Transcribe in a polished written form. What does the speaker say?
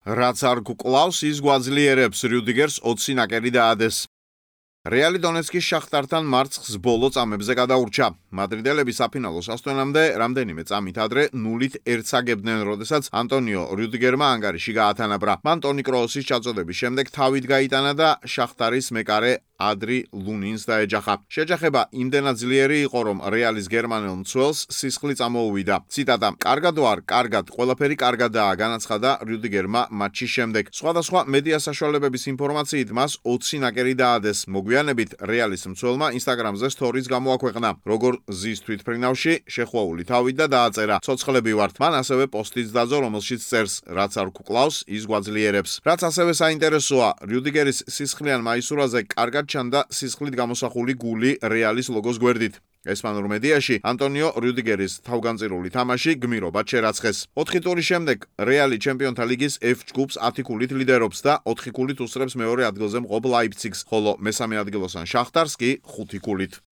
რაც არ გკლავს, ის გვაძლიერებს, რიუდიგერს 20 ნაკერი დაადეს. რეალი დონეცკის შახტართან მარცხს ბოლო წამებზე გადაურჩა. მადრიდელები საფინალო სასტვენამდე რამდენიმე წამით ადრე 0-1 აგებდნენ, როდესაც ანტონიო რიუდიგერმა ანგარიში გაათანაბრა. მან ტონი კროოსის ჩაწოდების შემდეგ თავით გაიტანა და შახტარის მეკარე ადრი ლუნინს დაეჯახა. შეჯახება იმდენად ძლიერი იყო, რომ რეალის გერმანელ მცველს სისხლი წამოუვიდა. ციტატა: "კარგად ვარ, კარგად, ყველაფერი კარგადაა", განაცხადა რიუდიგერმა მატჩის შემდეგ. სხვადასხვა მედია საშუალებების ინფორმაციით მას 20 ნაკერი დაადეს. მოგვიანებით რეალის მცველმა ინსტაგრამზე სტორიც გამოაქვეყნა, როგორ ზის თვითმფრინავში შეხვეული თავით და დააწერა: "ცოცხლები ვართ". მან ასევე პოსტიც დაძო, რომელშიც წერს: "რაც არ გკლავს, ის გვაძლიერებს". რაც ასევე საინტერესოა, რიუდიგერის სისხლიან მაისურაზე კარგად ჩანდა სისხლით გამოსახული გული რეალის ლოგოს გვერდით. ესპანურ მედიაში ანტონიო რიუდიგერის თავგანწირული თამაში გმირობად შერაცხეს. 4 ტურის შემდეგ რეალი ჩემპიონთა ლიგის F ჯგუფს 10 ქულით ლიდერობს და 4 ქულით უსწრებს მეორე ადგილზე მყოფ ლაიფციგს, ხოლო მესამე ადგილოსან შახტარს კი 5 ქულით.